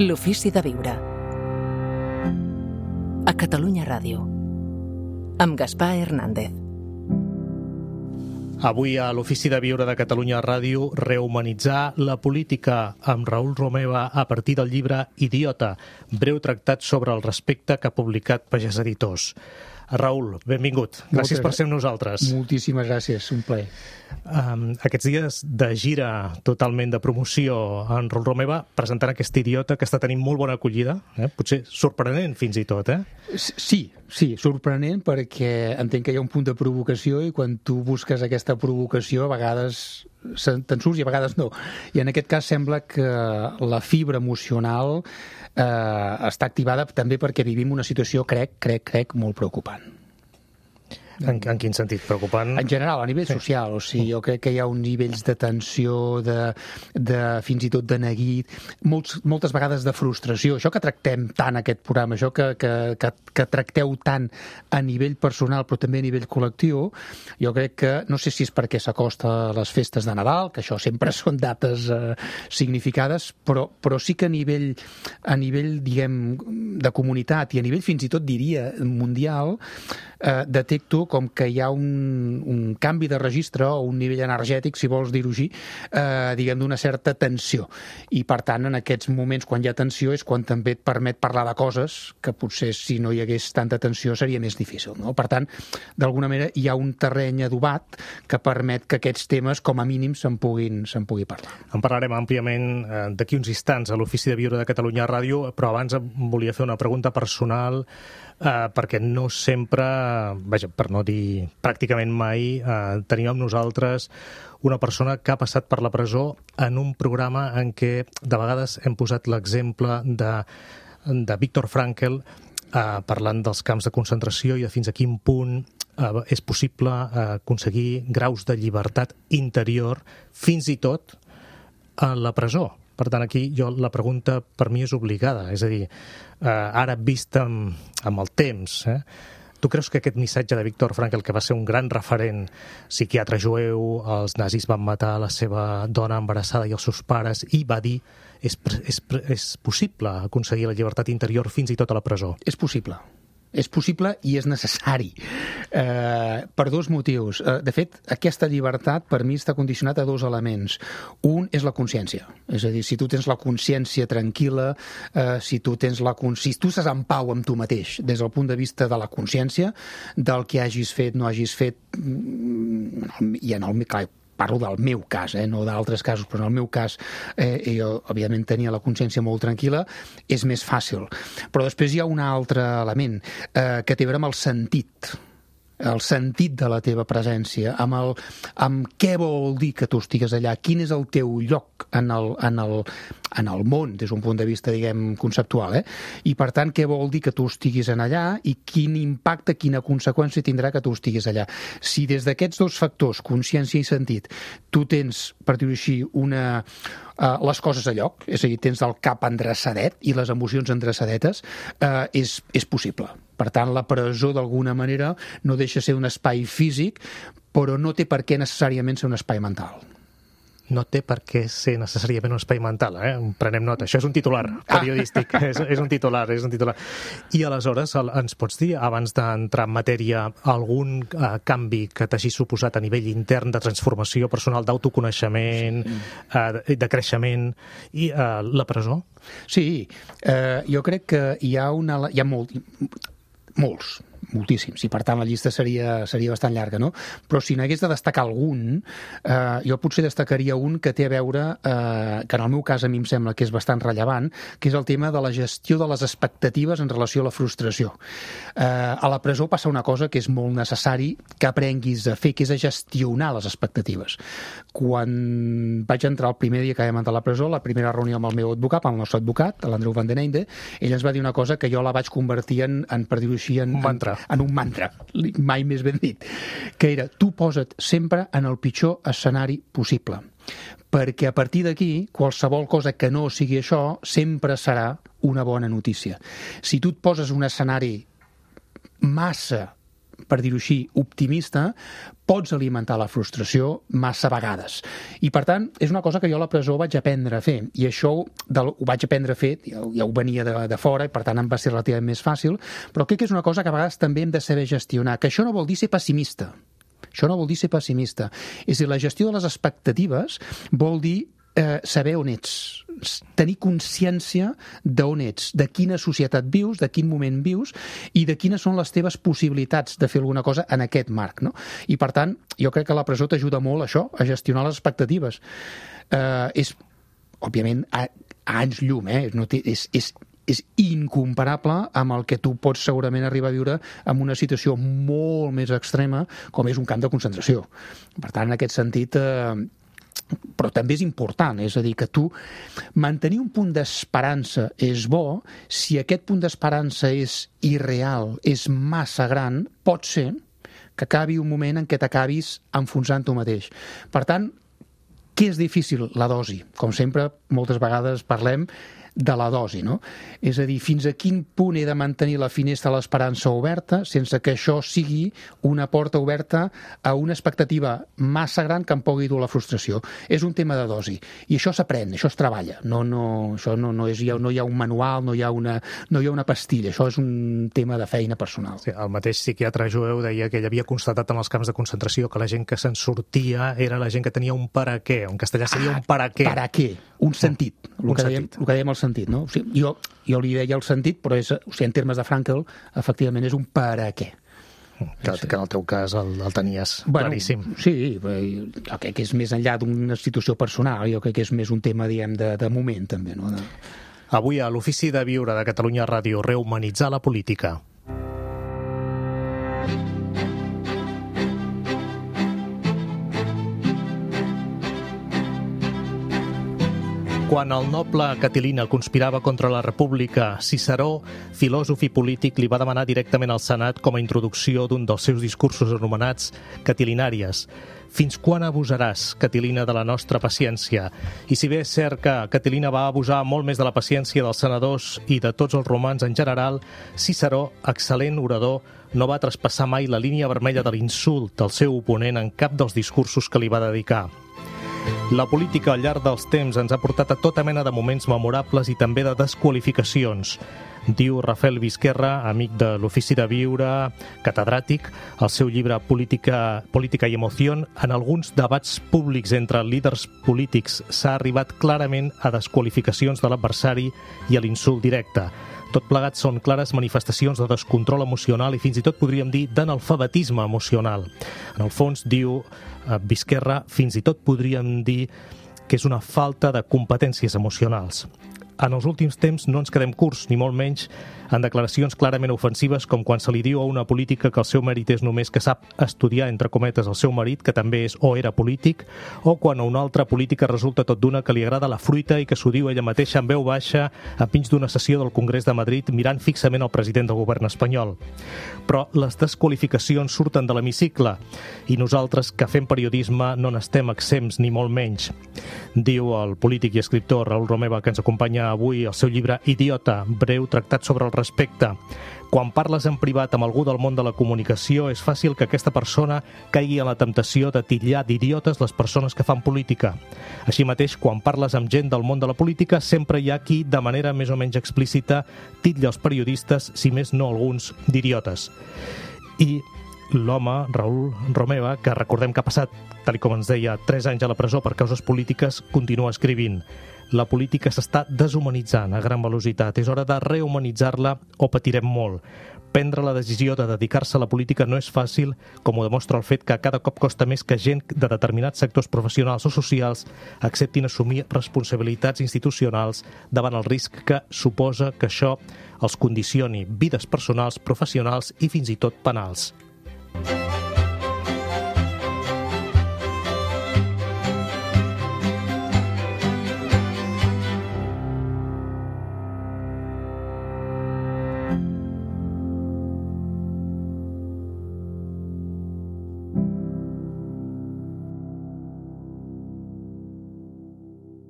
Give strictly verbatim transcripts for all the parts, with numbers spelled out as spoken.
L'ofici de viure. A Catalunya Ràdio. Amb Gaspar Hernández. Avui a l'Ofici de Viure de Catalunya Ràdio, rehumanitzar la política amb Raül Romeva a partir del llibre Idiota, breu tractat sobre el respecte que ha publicat Pagès Editors. Raül, benvingut. Gràcies per ser amb nosaltres. Moltíssimes gràcies, un plaer. Um, aquests dies de gira totalment de promoció en Raül Romeva presentant aquest Idiota que està tenint molt bona acollida, eh? Potser sorprenent fins i tot, eh? Sí, sí, sorprenent perquè entenc que hi ha un punt de provocació i quan tu busques aquesta provocació a vegades te'n surts i a vegades no. I en aquest cas sembla que la fibra emocional eh, està activada també perquè vivim una situació, crec, crec, crec, molt preocupant. En, en quin sentit? Preocupant? En general, a nivell social. O sigui, jo crec que hi ha uns nivells de tensió, de, de fins i tot de neguit, molts, moltes vegades de frustració. Això que tractem tant aquest programa, això que, que, que, que tracteu tant a nivell personal però també a nivell col·lectiu, jo crec que, no sé si és perquè s'acosta les festes de Nadal, que això sempre són dates eh, significades, però, però sí que a nivell, a nivell, diguem, de comunitat i a nivell fins i tot, diria, mundial, eh, detecto com que hi ha un, un canvi de registre o un nivell energètic, si vols dir-ho així, eh, diguem, d'una certa tensió. I, per tant, en aquests moments, quan hi ha tensió, és quan també et permet parlar de coses que potser, si no hi hagués tanta tensió, seria més difícil, no? Per tant, d'alguna manera, hi ha un terreny adobat que permet que aquests temes, com a mínim, se'n puguin, se'n pugui parlar. En parlarem àmpliament eh, d'aquí uns instants a l'Ofici de Viure de Catalunya Ràdio, però abans volia fer una pregunta personal eh, perquè no sempre, vaja, per no dir pràcticament mai, eh, tenim amb nosaltres una persona que ha passat per la presó en un programa en què de vegades hem posat l'exemple de, de Viktor Frankl eh, parlant dels camps de concentració i de fins a quin punt eh, és possible eh, aconseguir graus de llibertat interior fins i tot a la presó. Per tant, aquí jo la pregunta per mi és obligada, és a dir, eh, ara vist amb, amb el temps, eh, tu creus que aquest missatge de Viktor Frankl, que va ser un gran referent psiquiatre jueu, els nazis van matar la seva dona embarassada i els seus pares, i va dir és, és, és possible aconseguir la llibertat interior fins i tot a la presó? És possible. És possible i és necessari, eh, per dos motius. Eh, de fet, aquesta llibertat per mi està condicionat a dos elements. Un és la consciència, és a dir, si tu tens la consciència tranquil·la, eh, si tu tens la si tu estàs en pau amb tu mateix, des del punt de vista de la consciència, del que hagis fet, no hagis fet, i en el clar, parlo del meu cas, eh, no d'altres casos, però en el meu cas eh, jo, òbviament, tenia la consciència molt tranquil·la, és més fàcil. Però després hi ha un altre element eh, que té a veure amb el sentit, el sentit de la teva presència, amb, el, amb què vol dir que tu estigues allà, quin és el teu lloc en el, en el, en el món, des d'un punt de vista, diguem, conceptual, eh? I, per tant, què vol dir que tu estiguis en allà i quin impacte, quina conseqüència tindrà que tu estiguis allà. Si des d'aquests dos factors, consciència i sentit, tu tens, per dir-ho així, una... Uh, les coses a lloc, és a dir, tens el cap endreçadet i les emocions endreçadetes, uh, és, és possible. Per tant, la presó, d'alguna manera, no deixa ser un espai físic, però no té per què necessàriament ser un espai mental. No té per què ser necessàriament un espai mental, eh? Prenem nota. Això és un titular periodístic, ah. és, és un titular, és un titular. I aleshores, el, ens pots dir, abans d'entrar en matèria, algun eh, canvi que t'hagi suposat a nivell intern de transformació personal, d'autoconeixement, sí. eh, de creixement, i eh, la presó? Sí, eh, jo crec que hi ha, una, hi ha molt, molts, moltíssims, i per tant la llista seria, seria bastant llarga, no? Però si n'hagués de destacar algun, eh, jo potser destacaria un que té a veure, eh, que en el meu cas a mi em sembla que és bastant rellevant, que és el tema de la gestió de les expectatives en relació a la frustració. Eh, a la presó passa una cosa que és molt necessari que aprenguis a fer, que és a gestionar les expectatives. Quan vaig entrar el primer dia que vam entrar a la presó, la primera reunió amb el meu advocat, amb el nostre advocat, l'Andreu Van den Einde, ell ens va dir una cosa que jo la vaig convertir en, en per dir-ho així, en, un mantra. en un mantra, mai més ben dit, que era, tu posa't sempre en el pitjor escenari possible, perquè a partir d'aquí, qualsevol cosa que no sigui això, sempre serà una bona notícia. Si tu et poses un escenari massa per dir-ho així, optimista, pots alimentar la frustració massa vegades. I, per tant, és una cosa que jo a la presó vaig aprendre a fer. I això del, ho vaig aprendre a fer, ja, ja ho venia de, de fora, i per tant em va ser relativament més fàcil, però crec que és una cosa que a vegades també hem de saber gestionar, que això no vol dir ser pessimista. Això no vol dir ser pessimista. És a dir, la gestió de les expectatives vol dir eh, saber on ets, tenir consciència d'on ets, de quina societat vius, de quin moment vius i de quines són les teves possibilitats de fer alguna cosa en aquest marc, no? I, per tant, jo crec que la presó t'ajuda molt a això, a gestionar les expectatives. Eh, és, òbviament, a, a anys llum, eh? No té, és, és, és incomparable amb el que tu pots segurament arribar a viure en una situació molt més extrema com és un camp de concentració. Per tant, en aquest sentit... Eh, però també és important, és a dir, que tu mantenir un punt d'esperança és bo, si aquest punt d'esperança és irreal, és massa gran, pot ser que acabi un moment en què t'acabis enfonsant tu mateix. Per tant, què és difícil? La dosi. Com sempre, moltes vegades parlem de la dosi, no? És a dir, fins a quin punt he de mantenir la finestra de l'esperança oberta sense que això sigui una porta oberta a una expectativa massa gran que em pugui dur la frustració. És un tema de dosi. I això s'aprèn, això es treballa. No, no, això no, no, és, no hi ha un manual, no hi ha, una, no hi ha una pastilla. Això és un tema de feina personal. Sí, el mateix psiquiatre jueu deia que ell havia constatat en els camps de concentració que la gent que se'n sortia era la gent que tenia un per a què. En castellà seria ah, un per a què. Per a què. Un sentit. El un que dèiem, sentit. El que dèiem el sentit, no? O sigui, jo, jo li deia el sentit, però és, o sigui, en termes de Frankl, efectivament és un per a què. Que, que en el teu cas el, el tenies bueno, claríssim. Sí, jo crec que és més enllà d'una situació personal, jo crec que és més un tema, diguem, de, de moment, també, no? De... Avui a l'Ofici de Viure de Catalunya Ràdio, rehumanitzar la política. Quan el noble Catilina conspirava contra la República, Ciceró, filòsof i polític, li va demanar directament al Senat com a introducció d'un dels seus discursos anomenats Catilinàries. Fins quan abusaràs, Catilina, de la nostra paciència? I si bé és cert que Catilina va abusar molt més de la paciència dels senadors i de tots els romans en general, Ciceró, excel·lent orador, no va traspassar mai la línia vermella de l'insult del seu oponent en cap dels discursos que li va dedicar. La política al llarg dels temps ens ha portat a tota mena de moments memorables i també de desqualificacions. Diu Rafael Vizquerra, amic de l'Ofici de Viure, catedràtic, al seu llibre Política, Política i Emoció, en alguns debats públics entre líders polítics s'ha arribat clarament a desqualificacions de l'adversari i a l'insult directe. Tot plegat són clares manifestacions de descontrol emocional i fins i tot podríem dir d'analfabetisme emocional. En el fons, diu Vizquerra, fins i tot podríem dir que és una falta de competències emocionals. En els últims temps no ens quedem curts, ni molt menys, en declaracions clarament ofensives com quan se li diu a una política que el seu mèrit és només que sap estudiar, entre cometes, el seu marit, que també és o era polític, o quan a una altra política resulta tot d'una que li agrada la fruita i que s'ho diu ella mateixa en veu baixa enmig d'una sessió del Congrés de Madrid mirant fixament el president del govern espanyol. Però les desqualificacions surten de l'hemicicle i nosaltres, que fem periodisme, no n'estem exempts ni molt menys. Diu el polític i escriptor Raül Romeva, que ens acompanya avui al seu llibre Idiota, breu tractat sobre el respecte. Quan parles en privat amb algú del món de la comunicació, és fàcil que aquesta persona caigui en la temptació de titllar d'idiotes les persones que fan política. Així mateix, quan parles amb gent del món de la política, sempre hi ha qui, de manera més o menys explícita, titlla els periodistes, si més no alguns, d'idiotes. I l'home, Raül Romeva, que recordem que ha passat, tal com ens deia, tres anys a la presó per causes polítiques, continua escrivint. La política s'està deshumanitzant a gran velocitat. És hora de rehumanitzar-la o patirem molt. Prendre la decisió de dedicar-se a la política no és fàcil, com ho demostra el fet que cada cop costa més que gent de determinats sectors professionals o socials acceptin assumir responsabilitats institucionals davant el risc que suposa que això els condicioni vides personals, professionals i fins i tot penals.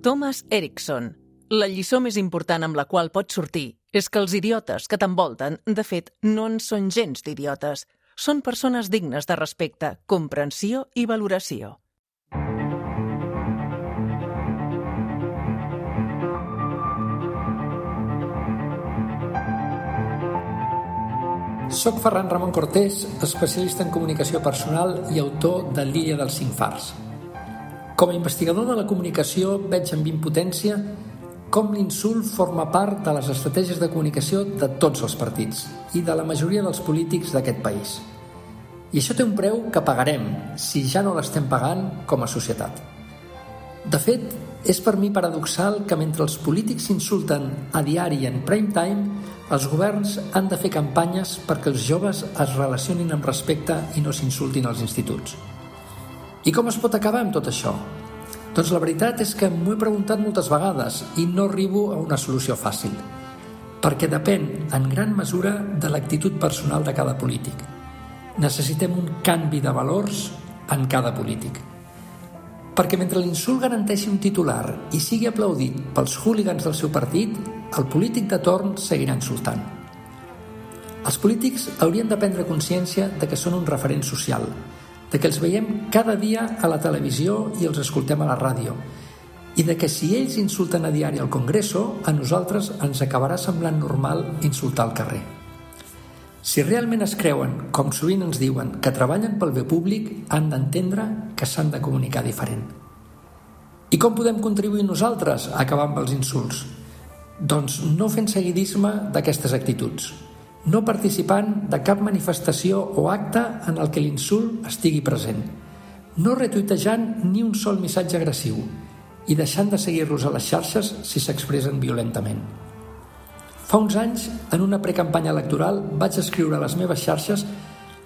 Thomas Erickson. La lliçó més important amb la qual pots sortir és que els idiotes que t'envolten, de fet, no en són gens d'idiotes. són persones dignes de respecte, comprensió i valoració. Soc Ferran Ramon Cortés, especialista en comunicació personal i autor de l'Illa dels cinc fars. Com a investigador de la comunicació veig amb impotència com l'insult forma part de les estratègies de comunicació de tots els partits i de la majoria dels polítics d'aquest país. I això té un preu que pagarem, si ja no l'estem pagant com a societat. De fet, és per mi paradoxal que mentre els polítics s'insulten a diari i en prime time, els governs han de fer campanyes perquè els joves es relacionin amb respecte i no s'insultin als instituts. I com es pot acabar amb tot això? Doncs la veritat és que m'ho he preguntat moltes vegades i no arribo a una solució fàcil, perquè depèn en gran mesura de l'actitud personal de cada polític. Necessitem un canvi de valors en cada polític. Perquè mentre l'insult garanteixi un titular i sigui aplaudit pels hooligans del seu partit, el polític de torn seguirà insultant. Els polítics haurien de prendre consciència de que són un referent social, de que els veiem cada dia a la televisió i els escoltem a la ràdio, i de que si ells insulten a diari al Congreso, a nosaltres ens acabarà semblant normal insultar al carrer. Si realment es creuen, com sovint ens diuen, que treballen pel bé públic, han d'entendre que s'han de comunicar diferent. I com podem contribuir nosaltres a acabar amb els insults? Doncs no fent seguidisme d'aquestes actituds, no participant de cap manifestació o acte en el que l'insult estigui present, no retuitejant ni un sol missatge agressiu i deixant de seguir-los a les xarxes si s'expressen violentament. Fa uns anys, en una precampanya electoral, vaig escriure a les meves xarxes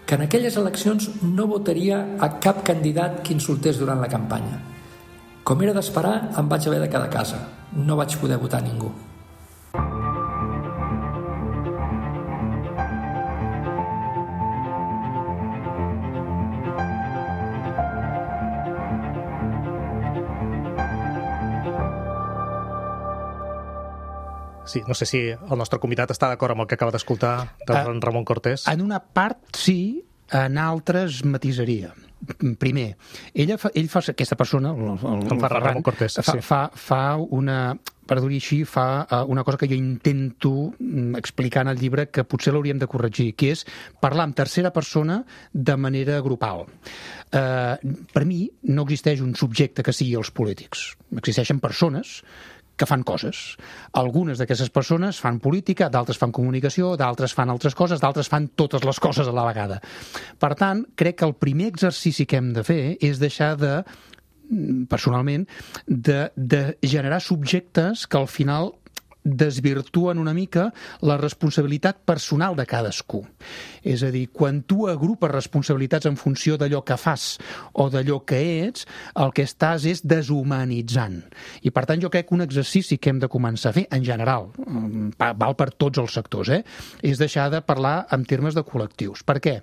que en aquelles eleccions no votaria a cap candidat que insultés durant la campanya. Com era d'esperar, em vaig haver de quedar a casa. No vaig poder votar a ningú. Sí, no sé si el nostre convidat està d'acord amb el que acaba d'escoltar del uh, Ramon Cortés. En una part sí, en altres matisaria. Primer, ella fa, ell fa aquesta persona, el, el, el Ferran Ramon Cortés, fa, sí. fa, fa una, per dir així, fa una cosa que jo intento explicar en el llibre que potser l'hauríem de corregir, que és parlar en tercera persona de manera grupal. Uh, per mi no existeix un subjecte que sigui els polítics. Existeixen persones que fan coses. Algunes d'aquestes persones fan política, d'altres fan comunicació, d'altres fan altres coses, d'altres fan totes les coses a la vegada. Per tant, crec que el primer exercici que hem de fer és deixar de, personalment, de, de generar subjectes que al final desvirtuen una mica la responsabilitat personal de cadascú. És a dir, quan tu agrupes responsabilitats en funció d'allò que fas o d'allò que ets, el que estàs és deshumanitzant. I per tant jo crec que un exercici que hem de començar a fer, en general, val per tots els sectors, eh? és deixar de parlar en termes de col·lectius. Per què?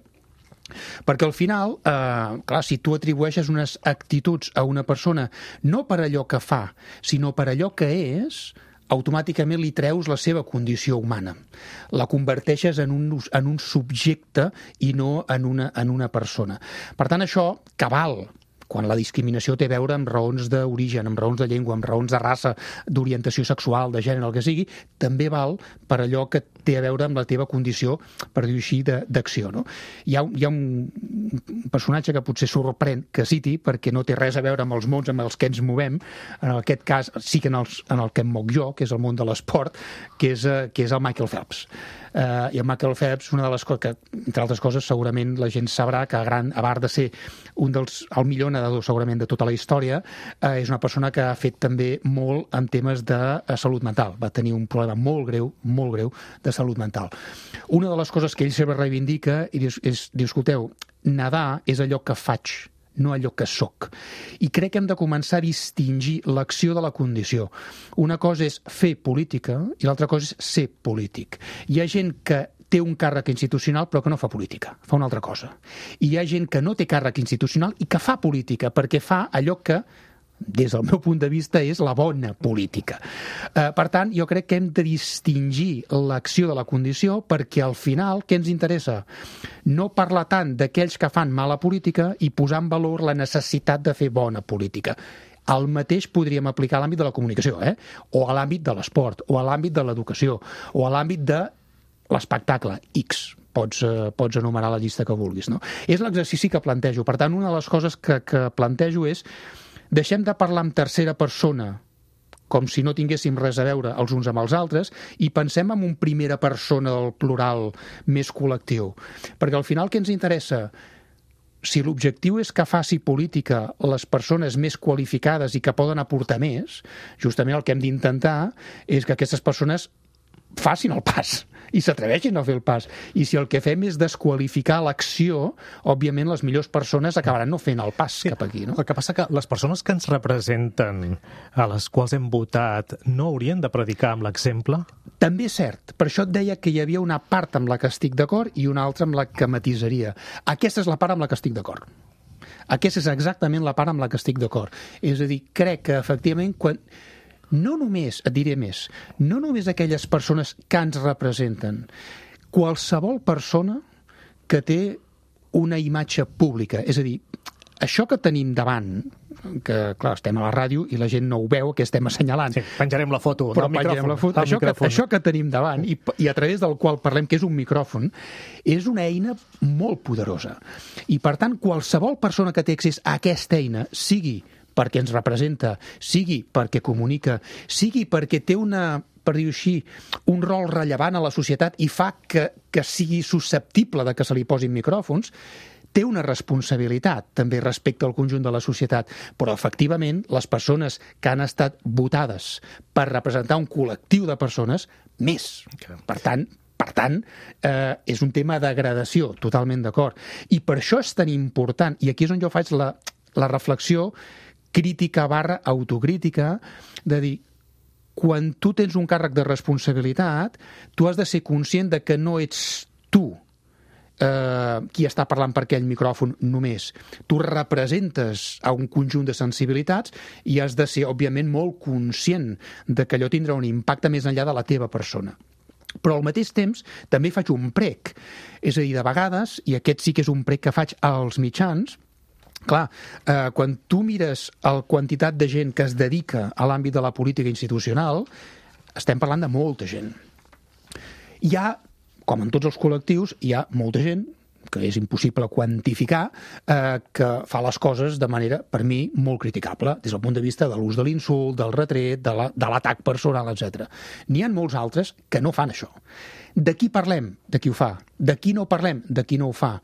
Perquè al final, eh, clar, si tu atribueixes unes actituds a una persona no per allò que fa, sinó per allò que és, automàticament li treus la seva condició humana. La converteixes en un, en un subjecte i no en una, en una persona. Per tant, això cabal quan la discriminació té a veure amb raons d'origen, amb raons de llengua, amb raons de raça, d'orientació sexual, de gènere, el que sigui, també val per allò que té a veure amb la teva condició, per dir-ho així, d'acció. No? Hi ha, hi ha un personatge que potser sorprèn que citi, perquè no té res a veure amb els mons amb els que ens movem, en aquest cas sí que en, els, en el que em moc jo, que és el món de l'esport, que, és, que és el Michael Phelps. Uh, I el Michael Phelps, una de les coses que, entre altres coses, segurament la gent sabrà que a, gran, a part de ser un dels, el millor nedador segurament de tota la història, uh, és una persona que ha fet també molt en temes de uh, salut mental. Va tenir un problema molt greu, molt greu, de salut mental. Una de les coses que ell sempre reivindica i diu, és, diu, escolteu, nedar és allò que faig, no allò que sóc. I crec que hem de començar a distingir l'acció de la condició. Una cosa és fer política i l'altra cosa és ser polític. Hi ha gent que té un càrrec institucional però que no fa política, fa una altra cosa. I hi ha gent que no té càrrec institucional i que fa política perquè fa allò que des del meu punt de vista, és la bona política. Eh, per tant, jo crec que hem de distingir l'acció de la condició perquè al final, què ens interessa? No parlar tant d'aquells que fan mala política i posar en valor la necessitat de fer bona política. El mateix podríem aplicar a l'àmbit de la comunicació, eh? O a l'àmbit de l'esport, o a l'àmbit de l'educació, o a l'àmbit de l'espectacle X. Pots, eh, pots enumerar la llista que vulguis, no? És l'exercici que plantejo. Per tant, una de les coses que, que plantejo és deixem de parlar en tercera persona com si no tinguéssim res a veure els uns amb els altres i pensem en un primera persona del plural més col·lectiu. Perquè al final què ens interessa? Si l'objectiu és que faci política les persones més qualificades i que poden aportar més, justament el que hem d'intentar és que aquestes persones facin el pas i s'atreveixin a fer el pas. I si el que fem és desqualificar l'acció, òbviament les millors persones acabaran no fent el pas sí, cap aquí. No? El que passa que les persones que ens representen, a les quals hem votat, no haurien de predicar amb l'exemple? També és cert. Per això et deia que hi havia una part amb la que estic d'acord i una altra amb la que matisaria. Aquesta és la part amb la que estic d'acord. Aquesta és exactament la part amb la que estic d'acord. És a dir, crec que efectivament quan... No només, et diré més, no només aquelles persones que ens representen, qualsevol persona que té una imatge pública, és a dir, això que tenim davant, que clar, estem a la ràdio i la gent no ho veu, que estem assenyalant. Sí, penjarem la foto però del micròfon. La foto. Això, que, això que tenim davant i, i a través del qual parlem, que és un micròfon, és una eina molt poderosa. I per tant, qualsevol persona que té accés a aquesta eina, sigui perquè ens representa, sigui perquè comunica, sigui perquè té una, per dir-ho així, un rol rellevant a la societat i fa que, que sigui susceptible de que se li posin micròfons, té una responsabilitat també respecte al conjunt de la societat, però efectivament les persones que han estat votades per representar un col·lectiu de persones, més. Per tant, Per tant, eh, és un tema de gradació, totalment d'acord. I per això és tan important, i aquí és on jo faig la, la reflexió crítica barra autocrítica, de dir, quan tu tens un càrrec de responsabilitat, tu has de ser conscient de que no ets tu eh, qui està parlant per aquell micròfon només. Tu representes a un conjunt de sensibilitats i has de ser, òbviament, molt conscient de que allò tindrà un impacte més enllà de la teva persona. Però al mateix temps també faig un prec. És a dir, de vegades, i aquest sí que és un prec que faig als mitjans, clar, eh, quan tu mires la quantitat de gent que es dedica a l'àmbit de la política institucional, estem parlant de molta gent. Hi ha, com en tots els col·lectius, hi ha molta gent que és impossible quantificar, eh, que fa les coses de manera, per mi, molt criticable, des del punt de vista de l'ús de l'insult, del retret, de la, de l'atac personal, etcètera. N'hi ha molts altres que no fan això. De qui parlem? De qui ho fa. De qui no parlem? De qui no ho fa.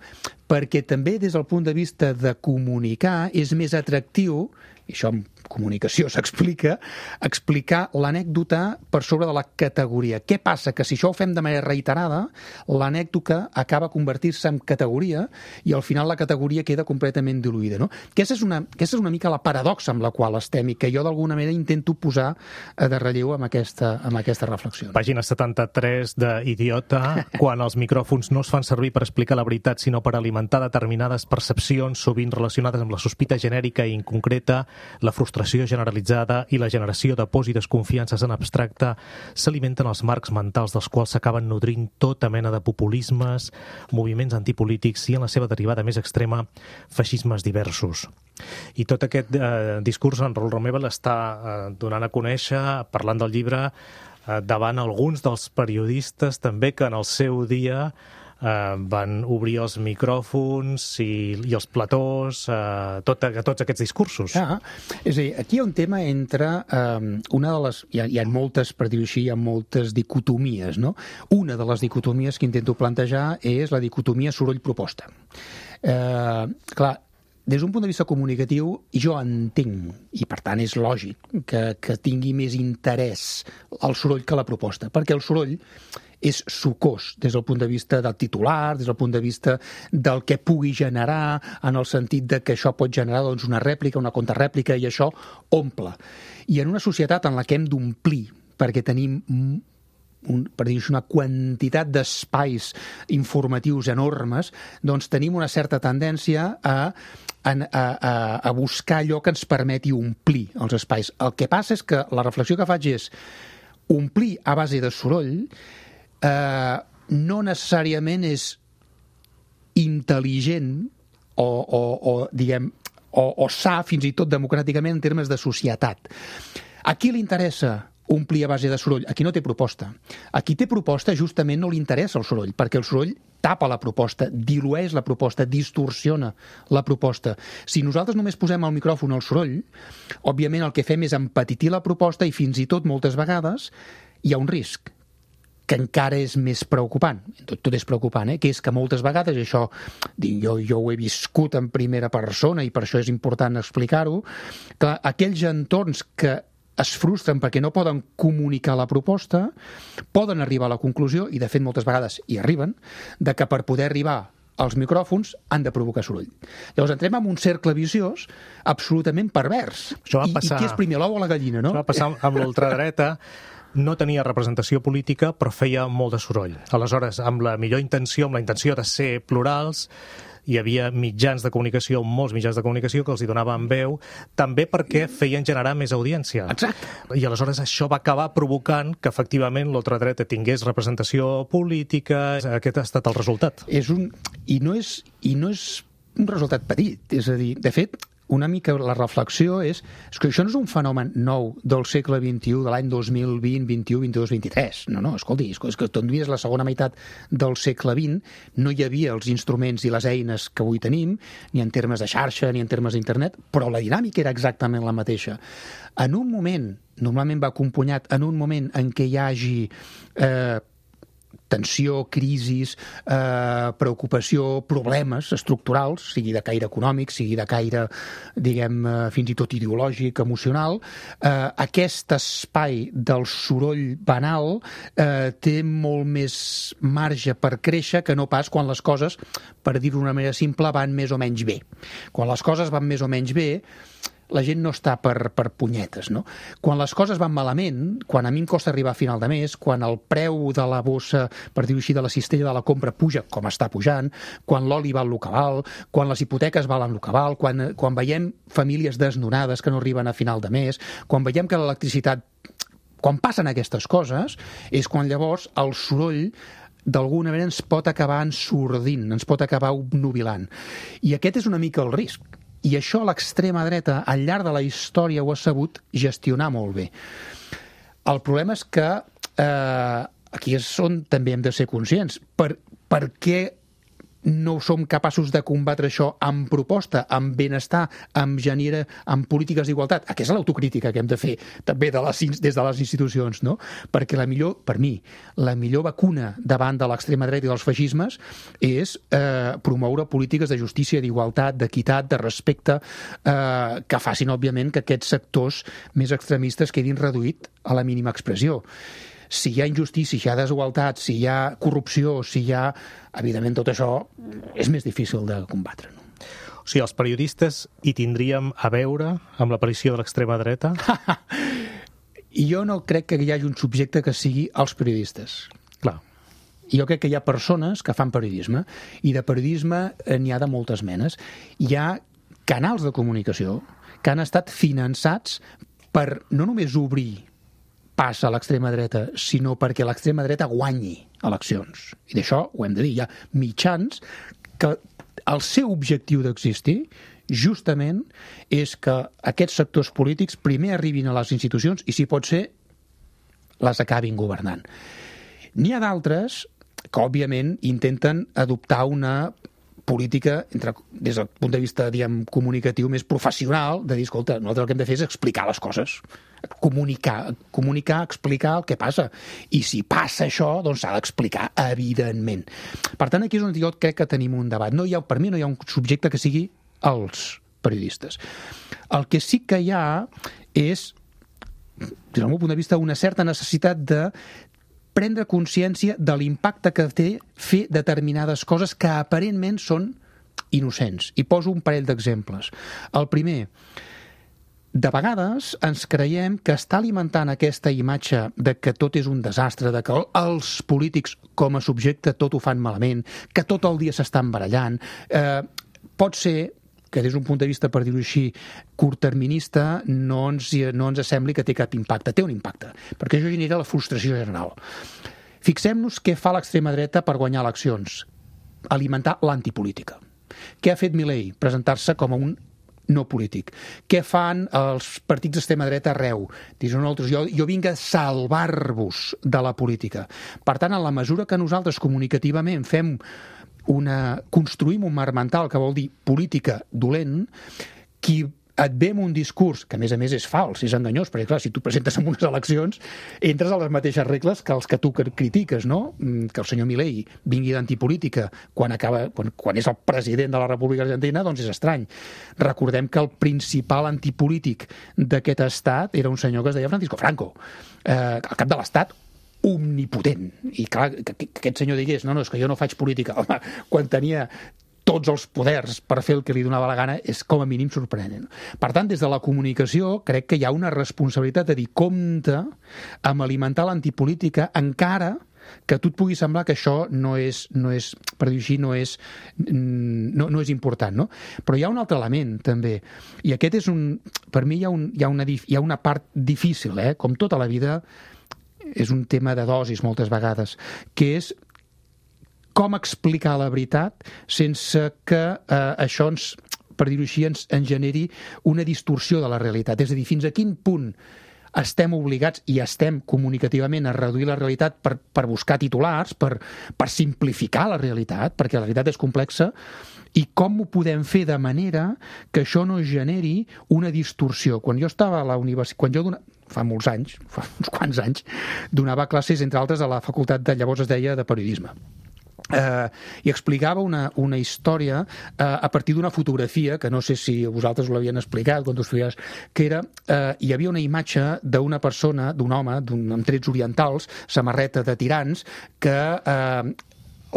Perquè també des del punt de vista de comunicar és més atractiu, i això en comunicació s'explica, explicar l'anècdota per sobre de la categoria. Què passa? Que si això ho fem de manera reiterada, l'anècdota acaba convertir-se en categoria i al final la categoria queda completament diluïda. No? Aquesta és una, aquesta és una mica la paradoxa amb la qual estem i que jo d'alguna manera intento posar de relleu amb aquesta, amb aquesta reflexió. Pàgina setanta-tres d'Idiota, quan els micròfons no es fan servir per explicar la veritat, sinó per alimentar determinades percepcions, sovint relacionades amb la sospita genèrica i inconcreta, la frustració generalitzada i la generació de pors i desconfiances en abstracte, s'alimenten els marcs mentals dels quals s'acaben nodrint tota mena de populismes, moviments antipolítics i, en la seva derivada més extrema, feixismes diversos. I tot aquest eh, discurs en Raül Romeva l'està eh, donant a conèixer, parlant del llibre, eh, davant alguns dels periodistes també que en el seu dia Uh, van obrir els micròfons i, i els platós, uh, tot, tots aquests discursos. Ah, és a dir, aquí hi ha un tema entre um, una de les... Hi ha, hi ha moltes, per dir-ho així, hi ha moltes dicotomies, no? Una de les dicotomies que intento plantejar és la dicotomia soroll-proposta. Uh, clar, des d'un punt de vista comunicatiu, jo entenc, i per tant és lògic, que, que tingui més interès el soroll que la proposta, perquè el soroll és sucós des del punt de vista del titular, des del punt de vista del que pugui generar, en el sentit de que això pot generar doncs, una rèplica, una contrarèplica, i això omple. I en una societat en la que hem d'omplir, perquè tenim un, per dir-ho així, una quantitat d'espais informatius enormes, doncs tenim una certa tendència a, a, a, a buscar allò que ens permeti omplir els espais. El que passa és que la reflexió que faig és omplir a base de soroll eh, no necessàriament és intel·ligent o, o, o diguem, o, o sa fins i tot democràticament en termes de societat. A qui li interessa omplir a base de soroll? A qui no té proposta. A qui té proposta justament no li interessa el soroll, perquè el soroll tapa la proposta, dilueix la proposta, distorsiona la proposta. Si nosaltres només posem al micròfon el soroll, òbviament el que fem és empetitir la proposta i fins i tot moltes vegades hi ha un risc que encara és més preocupant, tot, tot és preocupant, eh? Que és que moltes vegades, això jo, jo ho he viscut en primera persona i per això és important explicar-ho, que aquells entorns que es frustren perquè no poden comunicar la proposta, poden arribar a la conclusió, i de fet moltes vegades hi arriben, de que per poder arribar als micròfons han de provocar soroll. Llavors entrem en un cercle viciós absolutament pervers. Això va I, passar... I què és primer, l'ou o la gallina, no? Això va passar amb l'ultradreta. No tenia representació política, però feia molt de soroll. Aleshores, amb la millor intenció, amb la intenció de ser plurals, hi havia mitjans de comunicació, molts mitjans de comunicació que els hi donaven veu, també perquè feien generar més audiència. Exacte. I aleshores això va acabar provocant que efectivament l'ultradreta tingués representació política. Aquest ha estat el resultat. És un... I no és, i no és un resultat petit. És a dir, de fet, una mica la reflexió és, és que això no és un fenomen nou del segle vint-i-u, de l'any dos mil vint, vint-i-u, vint-i-dos, vint-i-tres. No, no, escolti, és que tot és la segona meitat del segle vint, no hi havia els instruments i les eines que avui tenim, ni en termes de xarxa, ni en termes d'internet, però la dinàmica era exactament la mateixa. En un moment, normalment va acompanyat, en un moment en què hi hagi eh, tensió, crisis, eh, preocupació, problemes estructurals, sigui de caire econòmic, sigui de caire, diguem, eh, fins i tot ideològic, emocional, eh, aquest espai del soroll banal eh, té molt més marge per créixer que no pas quan les coses, per dir-ho d'una manera simple, van més o menys bé. Quan les coses van més o menys bé, la gent no està per, per punyetes, no? Quan les coses van malament, quan a mi em costa arribar a final de mes, quan el preu de la bossa, per dir-ho així, de la cistella de la compra puja com està pujant, quan l'oli val el que val, quan les hipoteques valen el que val, quan, quan veiem famílies desnonades que no arriben a final de mes, quan veiem que l'electricitat... Quan passen aquestes coses, és quan llavors el soroll d'alguna manera ens pot acabar ensordint, ens pot acabar obnubilant. I aquest és una mica el risc. I això l'extrema dreta, al llarg de la història, ho ha sabut gestionar molt bé. El problema és que eh, aquí és on també hem de ser conscients. Per, per què no som capaços de combatre això amb proposta, amb benestar, amb genera, amb polítiques d'igualtat? Aquesta és l'autocrítica que hem de fer també de les, des de les institucions, no? Perquè la millor, per mi, la millor vacuna davant de l'extrema dreta i dels feixismes és eh, promoure polítiques de justícia, d'igualtat, d'equitat, de respecte, eh, que facin, òbviament, que aquests sectors més extremistes quedin reduïts a la mínima expressió. Si hi ha injustícia, si hi ha desigualtat, si hi ha corrupció, si hi ha... Evidentment, tot això és més difícil de combatre. No? O sigui, els periodistes hi tindríem a veure amb l'aparició de l'extrema dreta? I jo no crec que hi hagi un subjecte que sigui els periodistes. Clar. Jo crec que hi ha persones que fan periodisme, i de periodisme n'hi ha de moltes menes. Hi ha canals de comunicació que han estat finançats per no només obrir pas a l'extrema dreta, sinó perquè l'extrema dreta guanyi eleccions. I d'això ho hem de dir. Hi ha mitjans que el seu objectiu d'existir justament és que aquests sectors polítics primer arribin a les institucions i, si pot ser, les acabin governant. N'hi ha d'altres que, òbviament, intenten adoptar una política, entre, des del punt de vista, diguem, comunicatiu més professional, de dir, escolta, nosaltres el que hem de fer és explicar les coses, comunicar, comunicar, explicar el que passa. I si passa això, doncs s'ha d'explicar, evidentment. Per tant, aquí és on jo crec que tenim un debat. No hi ha, per mi no hi ha un subjecte que sigui els periodistes. El que sí que hi ha és, des del meu punt de vista, una certa necessitat de prendre consciència de l'impacte que té fer determinades coses que aparentment són innocents. I poso un parell d'exemples. El primer, de vegades ens creiem que està alimentant aquesta imatge de que tot és un desastre, de que els polítics com a subjecte tot ho fan malament, que tot el dia s'estan barallant. Eh, pot ser que des d'un punt de vista, per dir-ho així, curtterminista, no ens, no ens sembli que té cap impacte. Té un impacte, perquè això genera la frustració general. Fixem-nos què fa l'extrema dreta per guanyar eleccions. Alimentar l'antipolítica. Què ha fet Milei? Presentar-se com a un no polític. Què fan els partits d'extrema dreta arreu? Diuen nosaltres, jo, jo vinc a salvar-vos de la política. Per tant, en la mesura que nosaltres comunicativament fem una, construïm un marc mental que vol dir política dolent, qui et ve amb un discurs, que a més a més és fals, és enganyós, perquè clar, si tu presentes en unes eleccions, entres a les mateixes regles que els que tu critiques, no? Que el senyor Milei vingui d'antipolítica quan, acaba, quan, quan és el president de la República Argentina, doncs és estrany. Recordem que el principal antipolític d'aquest estat era un senyor que es deia Francisco Franco, eh, al cap de l'estat, omnipotent. I clar, que, que aquest senyor digués, no, no, és que jo no faig política. Home, quan tenia tots els poders per fer el que li donava la gana és com a mínim sorprenent. Per tant, des de la comunicació crec que hi ha una responsabilitat de dir compte amb alimentar l'antipolítica encara que a tu et pugui semblar que això no és, no és per dir així, no és, no, no és important, no? Però hi ha un altre element, també, i aquest és un... Per mi hi ha, un, hi ha, una, hi ha una part difícil, eh? Com tota la vida, és un tema de dosis moltes vegades, que és com explicar la veritat sense que eh, això ens, per dir-ho així, ens, ens generi una distorsió de la realitat. És a dir, fins a quin punt estem obligats i estem comunicativament a reduir la realitat per, per buscar titulars, per, per simplificar la realitat, perquè la realitat és complexa, i com ho podem fer de manera que això no generi una distorsió. Quan jo estava a la universitat, quan jo donava, fa molts anys, fa uns quants anys, donava classes, entre altres, a la facultat de, llavors es deia, de periodisme. Uh, i explicava una, una història uh, a partir d'una fotografia que no sé si vosaltres ho l'havien explicat quan tu estudies, que era, uh, hi havia una imatge d'una persona, d'un home d'un, amb trets orientals, samarreta de tirants, que uh,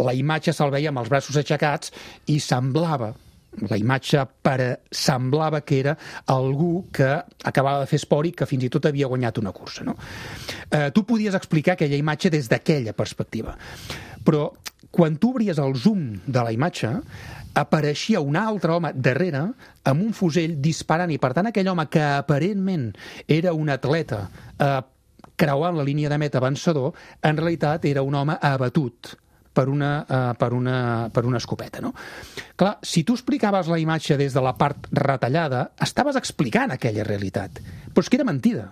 la imatge se'l veia amb els braços aixecats i semblava la imatge per, semblava que era algú que acabava de fer esport i que fins i tot havia guanyat una cursa, no? Uh, tu podies explicar aquella imatge des d'aquella perspectiva, però quan tu obries el zoom de la imatge, apareixia un altre home darrere amb un fusell disparant, i per tant aquell home que aparentment era un atleta eh, creuant la línia de meta vencedor, en realitat era un home abatut per una, eh, per una, per una escopeta, no? Clar, si tu explicaves la imatge des de la part retallada, estaves explicant aquella realitat, però és que era mentida.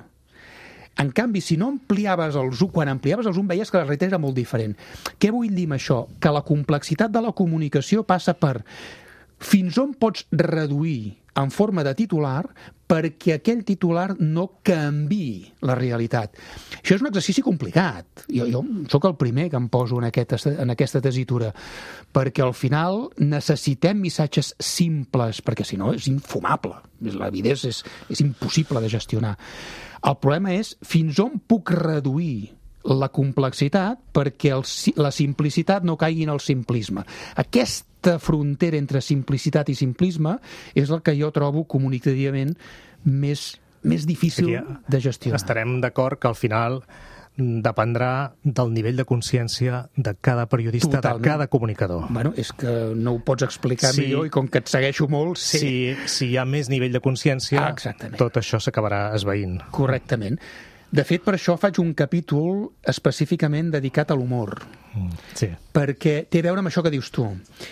En canvi, si no ampliaves el zoom, quan ampliaves el zoom veies que la realitat era molt diferent. Què vull dir amb això? Que la complexitat de la comunicació passa per fins on pots reduir en forma de titular perquè aquell titular no canviï la realitat. Això és un exercici complicat. Jo, jo sóc el primer que em poso en, aquest, en aquesta tesitura, perquè al final necessitem missatges simples, perquè si no és infumable. La vida és, és, és impossible de gestionar. El problema és fins on puc reduir la complexitat perquè el, la simplicitat no caigui en el simplisme. Aquesta frontera entre simplicitat i simplisme és el que jo trobo comunicativament més, més difícil de gestionar. Estarem d'acord que al final dependrà del nivell de consciència de cada periodista, Totalment. De cada comunicador. Bueno, és que no ho pots explicar sí, millor i com que et segueixo molt... Sí. Si, si hi ha més nivell de consciència, ah, tot això s'acabarà esvaint. Correctament. De fet, per això faig un capítol específicament dedicat a l'humor. Mm, sí. Perquè té a veure amb això que dius tu.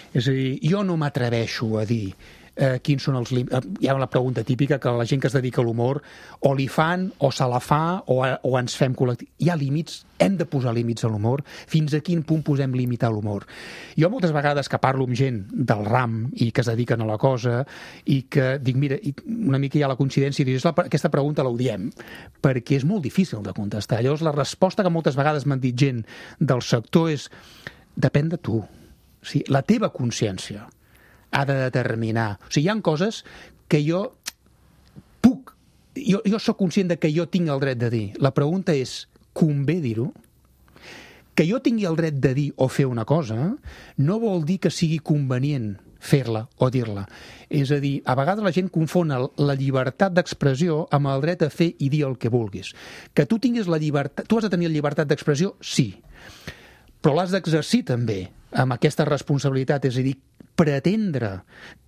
És a dir, jo no m'atreveixo a dir eh, quins són els límits. Hi ha la pregunta típica que la gent que es dedica a l'humor o li fan, o se la fa, o, a, o ens fem col·lectiu. Hi ha límits, hem de posar límits a l'humor. Fins a quin punt posem límit a l'humor? Jo moltes vegades que parlo amb gent del ram i que es dediquen a la cosa i que dic, mira, una mica hi ha la coincidència i dius, aquesta pregunta l'odiem perquè és molt difícil de contestar. Llavors la resposta que moltes vegades m'han dit gent del sector és depèn de tu. O sigui, la teva consciència ha de determinar. O sigui, hi ha coses que jo puc, jo, jo sóc conscient de que jo tinc el dret de dir. La pregunta és, convé dir-ho? Que jo tingui el dret de dir o fer una cosa no vol dir que sigui convenient fer-la o dir-la. És a dir, a vegades la gent confon la llibertat d'expressió amb el dret a fer i dir el que vulguis. Que tu tinguis la llibertat... Tu has de tenir la llibertat d'expressió, sí, però l'has d'exercir també amb aquesta responsabilitat, és a dir, pretendre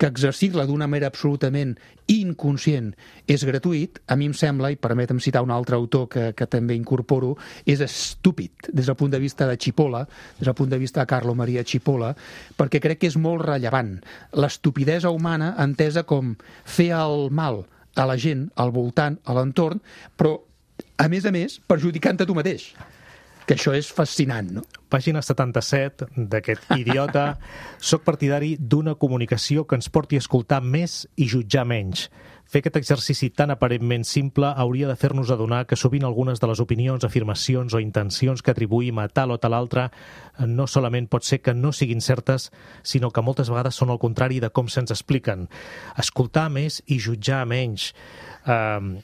que exercir-la d'una manera absolutament inconscient és gratuït, a mi em sembla, i permetem citar un altre autor que, que també incorporo, és estúpid des del punt de vista de Cipolla, des del punt de vista de Carlo Maria Cipolla, perquè crec que és molt rellevant. L'estupidesa humana entesa com fer el mal a la gent, al voltant, a l'entorn, però, a més a més, perjudicant-te tu mateix. Que això és fascinant, no? Pàgina setanta-set d'aquest idiota. Soc partidari d'una comunicació que ens porti a escoltar més i jutjar menys. Fer aquest exercici tan aparentment simple hauria de fer-nos adonar que sovint algunes de les opinions, afirmacions o intencions que atribuïm a tal o tal altre no solament pot ser que no siguin certes, sinó que moltes vegades són el contrari de com se'ns expliquen. Escoltar més i jutjar menys. Uh,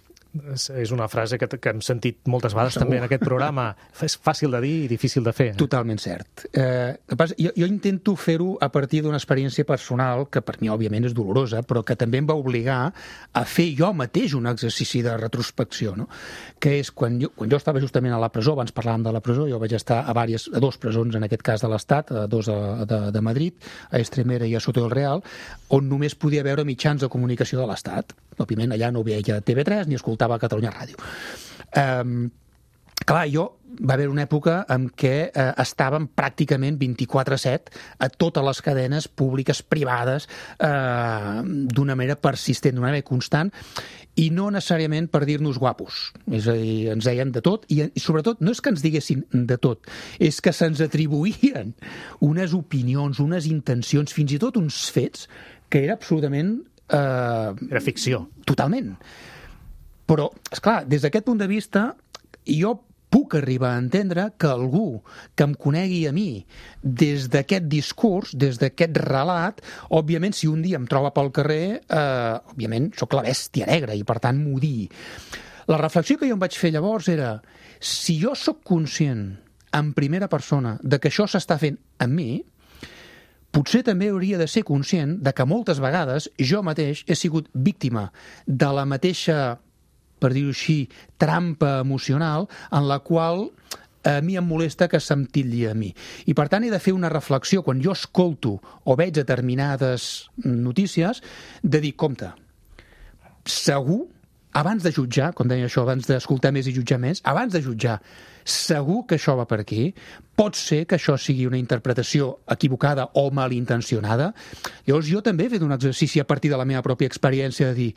és una frase que, que hem sentit moltes vegades Segur. també en aquest programa. És fàcil de dir i difícil de fer. Totalment cert. Eh, jo, jo intento fer-ho a partir d'una experiència personal que per mi òbviament és dolorosa, però que també em va obligar a fer jo mateix un exercici de retrospecció, no? Que és quan jo, quan jo estava justament a la presó, abans parlàvem de la presó, jo vaig estar a, diverses, a dos presons, en aquest cas de l'Estat, a dos a, de, de Madrid, a Extremera i a Soto del Real, on només podia veure mitjans de comunicació de l'Estat. Òbviament allà no veia T V tres ni escoltava a Catalunya Ràdio. Um, clar, jo va haver una època en què eh, estàvem pràcticament vint-i-quatre set a totes les cadenes públiques, privades, eh, d'una manera persistent, d'una manera constant, i no necessàriament per dir-nos guapos. És a dir, ens deien de tot, i, i sobretot no és que ens diguessin de tot, és que se'ns atribuïen unes opinions, unes intencions, fins i tot uns fets, que era absolutament... Uh, era ficció. Totalment. Però, esclar, des d'aquest punt de vista, jo puc arribar a entendre que algú que em conegui a mi des d'aquest discurs, des d'aquest relat, òbviament, si un dia em troba pel carrer, eh, òbviament, sóc la bèstia negra i, per tant, m'ho digui. La reflexió que jo em vaig fer llavors era, si jo sóc conscient, en primera persona, de que això s'està fent amb mi, potser també hauria de ser conscient de que moltes vegades jo mateix he sigut víctima de la mateixa, per dir-ho així, trampa emocional en la qual a mi em molesta que se'm titlli a mi. I per tant he de fer una reflexió quan jo escolto o veig determinades notícies de dir, compte, segur, abans de jutjar, com deia això, abans d'escoltar més i jutjar més, abans de jutjar, segur que això va per aquí, pot ser que això sigui una interpretació equivocada o malintencionada. Llavors jo també he fet un exercici a partir de la meva pròpia experiència de dir,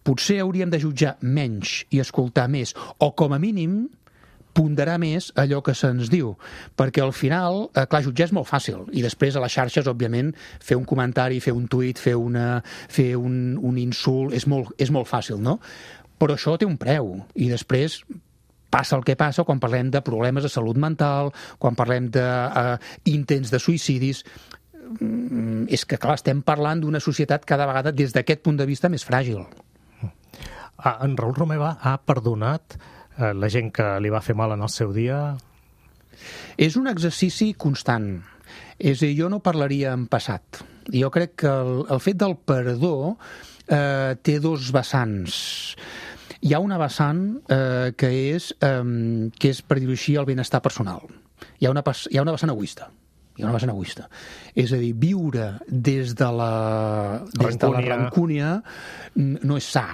potser hauríem de jutjar menys i escoltar més, o com a mínim ponderar més allò que se'ns diu, perquè al final, eh, clar, jutjar és molt fàcil, i després a les xarxes, òbviament, fer un comentari, fer un tuit, fer, una, fer un, un insult, és molt, és molt fàcil, no? Però això té un preu, i després passa el que passa quan parlem de problemes de salut mental, quan parlem d'intents de, uh, de suïcidis. Mm, és que, clar, estem parlant d'una societat cada vegada des d'aquest punt de vista més fràgil. Ah, en Raül Romeva ha perdonat eh, la gent que li va fer mal en el seu dia? És un exercici constant. És a dir, jo no parlaria en passat. Jo crec que el, el fet del perdó eh, té dos vessants. Hi ha una vessant eh, que, és, eh, que és, per dir-ho així, el benestar personal. Hi ha una, hi ha una vessant egoista. Hi ha una vessant egoista. És a dir, viure des de la, des de la rancúnia no és sa.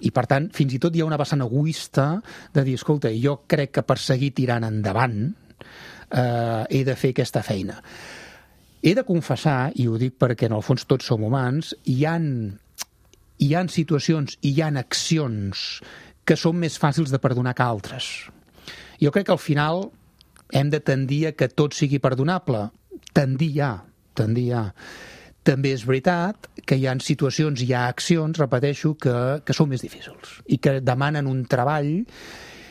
I, per tant, fins i tot hi ha una vessant egoista de dir, escolta, jo crec que per seguir tirant endavant eh, he de fer aquesta feina. He de confessar, i ho dic perquè en el fons tots som humans, hi han... hi ha situacions i hi ha accions que són més fàcils de perdonar que altres. Jo crec que al final hem de tendir a que tot sigui perdonable. Tendir ja, tendir ja. També és veritat que hi ha situacions, hi ha accions, repeteixo, que, que són més difícils i que demanen un treball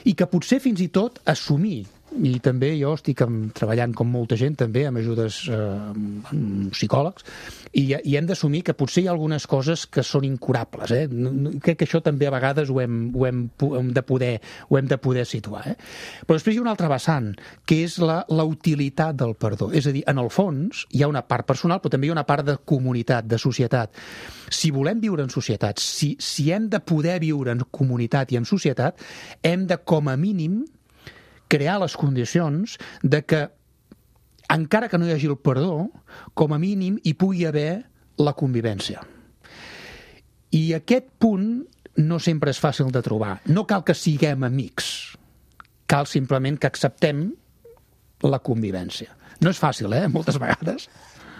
i que potser fins i tot assumir i també jo estic amb, treballant com molta gent també amb ajudes eh, amb psicòlegs i, i hem d'assumir que potser hi ha algunes coses que són incurables, eh? Crec que això també a vegades ho hem, ho hem, ho hem, de, poder, ho hem de poder situar, eh? Però després hi ha una altra vessant, que és la, la utilitat del perdó, és a dir, en el fons hi ha una part personal però també hi ha una part de comunitat, de societat. Si volem viure en societat, si, si hem de poder viure en comunitat i en societat, hem de com a mínim crear les condicions de que, encara que no hi hagi el perdó, com a mínim hi pugui haver la convivència. I aquest punt no sempre és fàcil de trobar. No cal que siguem amics, cal simplement que acceptem la convivència. No és fàcil, eh?, moltes vegades.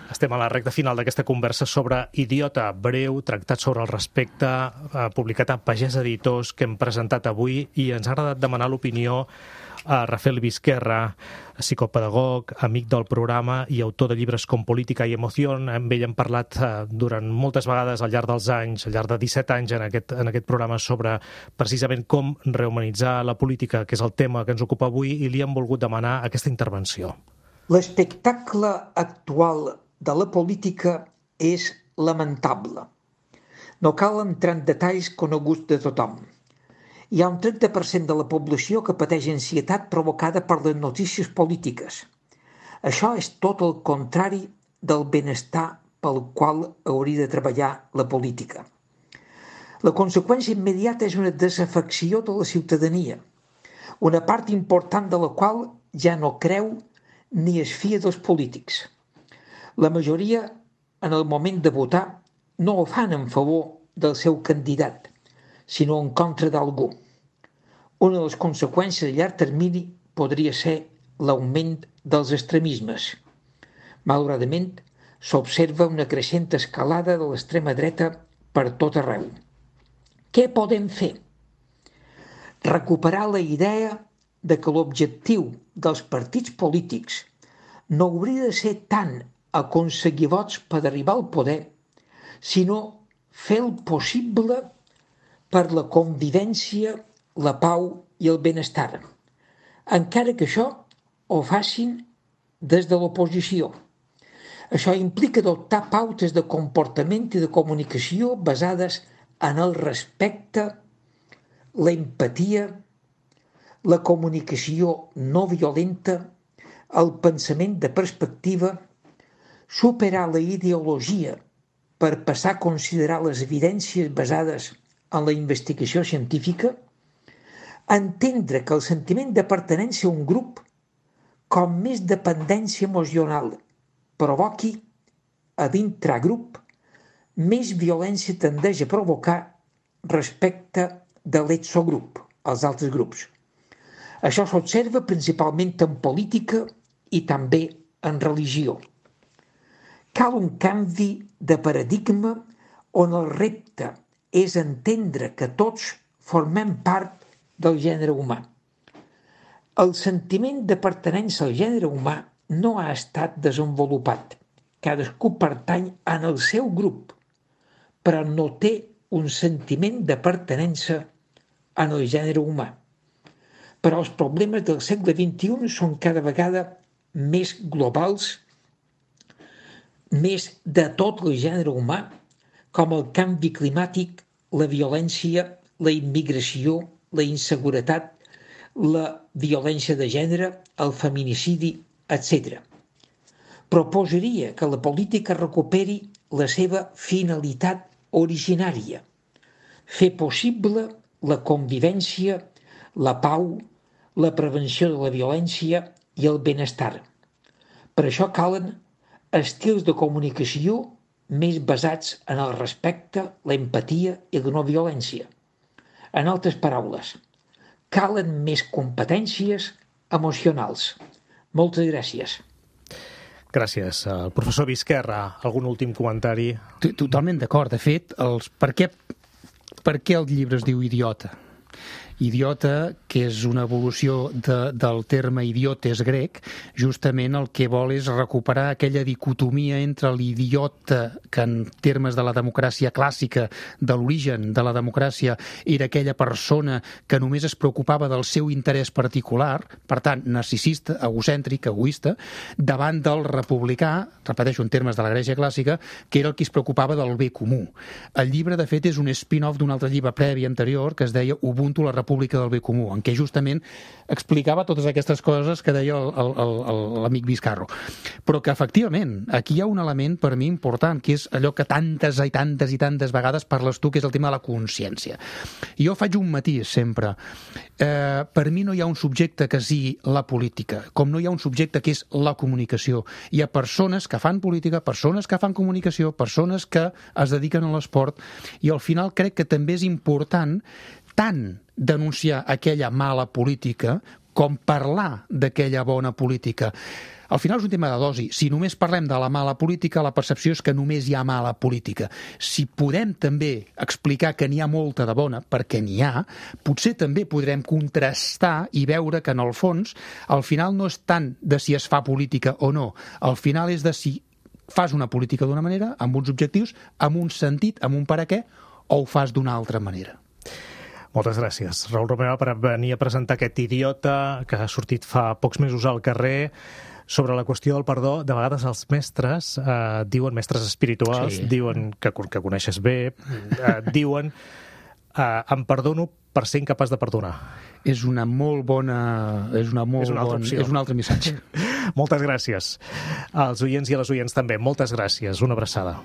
Estem a la recta final d'aquesta conversa sobre Idiota, breu, tractat sobre el respecte, eh, publicat a Pagès Editors, que hem presentat avui, i ens ha agradat demanar l'opinió a Rafael Vizquerra, psicopedagog, amic del programa i autor de llibres com Política i Emoción. Amb ell hem parlat eh, durant moltes vegades al llarg dels anys, al llarg de disset anys en aquest, en aquest programa, sobre precisament com rehumanitzar la política, que és el tema que ens ocupa avui, i li hem volgut demanar aquesta intervenció. L'espectacle actual de la política és lamentable. No cal entrar en detalls coneguts de tothom. Hi ha un trenta per cent de la població que pateix ansietat provocada per les notícies polítiques. Això és tot el contrari del benestar pel qual hauria de treballar la política. La conseqüència immediata és una desafecció de la ciutadania, una part important de la qual ja no creu ni es fia dels polítics. La majoria, en el moment de votar, no ho fan en favor del seu candidat, sinó en contra d'algú. Una de les conseqüències a llarg termini podria ser l'augment dels extremismes. Malauradament, s'observa una creixent escalada de l'extrema dreta per tot arreu. Què podem fer? Recuperar la idea de que l'objectiu dels partits polítics no hauria de ser tant aconseguir vots per arribar al poder, sinó fer el possible per la convivència, la pau i el benestar, encara que això ho facin des de l'oposició. Això implica adoptar pautes de comportament i de comunicació basades en el respecte, l'empatia, la comunicació no violenta, el pensament de perspectiva, superar la ideologia per passar a considerar les evidències basades en la investigació científica, entendre que el sentiment de pertinença a un grup, com més dependència emocional provoqui a d'intragrup, més violència tendeix a provocar respecte de l'exogrup, als altres grups. Això s'observa principalment en política i també en religió. Cal un canvi de paradigma on el repte és entendre que tots formem part del gènere humà. El sentiment de pertinença al gènere humà no ha estat desenvolupat. Cadascú pertany en el seu grup, però no té un sentiment de pertinença en el gènere humà. Però els problemes del segle vint-i-u són cada vegada més globals, més de tot el gènere humà, com el canvi climàtic, la violència, la immigració, la inseguretat, la violència de gènere, el feminicidi, etcètera. Proposaria que la política recuperi la seva finalitat originària, fer possible la convivència, la pau, la prevenció de la violència i el benestar. Per això calen estils de comunicació més basats en el respecte, l'empatia i la no violència. En altres paraules, calen més competències emocionals. Moltes gràcies. Gràcies. El professor Vizquerra, algun últim comentari? Totalment d'acord. De fet, els... per què, per què el llibre es diu Idiota? Idiota, que és una evolució de, del terme idiotes grec, justament el que vol és recuperar aquella dicotomia entre l'idiota, que en termes de la democràcia clàssica, de l'origen de la democràcia, era aquella persona que només es preocupava del seu interès particular, per tant, narcisista, egocèntric, egoista, davant del republicà, repeteixo, en termes de la Grècia clàssica, que era el que es preocupava del bé comú. El llibre, de fet, és un spin-off d'un altre llibre previ anterior que es deia Ubuntu, la República del Bé Comú, en què justament explicava totes aquestes coses que deia l'amic Vizcarro. Però que, efectivament, aquí hi ha un element per mi important, que és allò que tantes i tantes i tantes vegades parles tu, que és el tema de la consciència. Jo faig un matís sempre. Eh, per mi no hi ha un subjecte que sigui la política, com no hi ha un subjecte que és la comunicació. Hi ha persones que fan política, persones que fan comunicació, persones que es dediquen a l'esport, i al final crec que també és important tant denunciar aquella mala política com parlar d'aquella bona política. Al final és un tema de dosi. Si només parlem de la mala política, la percepció és que només hi ha mala política. Si podem també explicar que n'hi ha molta de bona, perquè n'hi ha, potser també podrem contrastar i veure que, en el fons, al final no és tant de si es fa política o no. Al final és de si fas una política d'una manera, amb uns objectius, amb un sentit, amb un per a què, o ho fas d'una altra manera. Moltes gràcies, Raül Romeva, per venir a presentar aquest idiota que ha sortit fa pocs mesos al carrer sobre la qüestió del perdó. De vegades els mestres eh, diuen, mestres espirituals, sí. diuen que, que coneixes bé, eh, diuen eh, em perdono per ser incapaç de perdonar. És una molt bona... És una molt és una altra bon, opció. És un altre missatge. Moltes gràcies. Als oients i a les oients també, moltes gràcies. Una abraçada.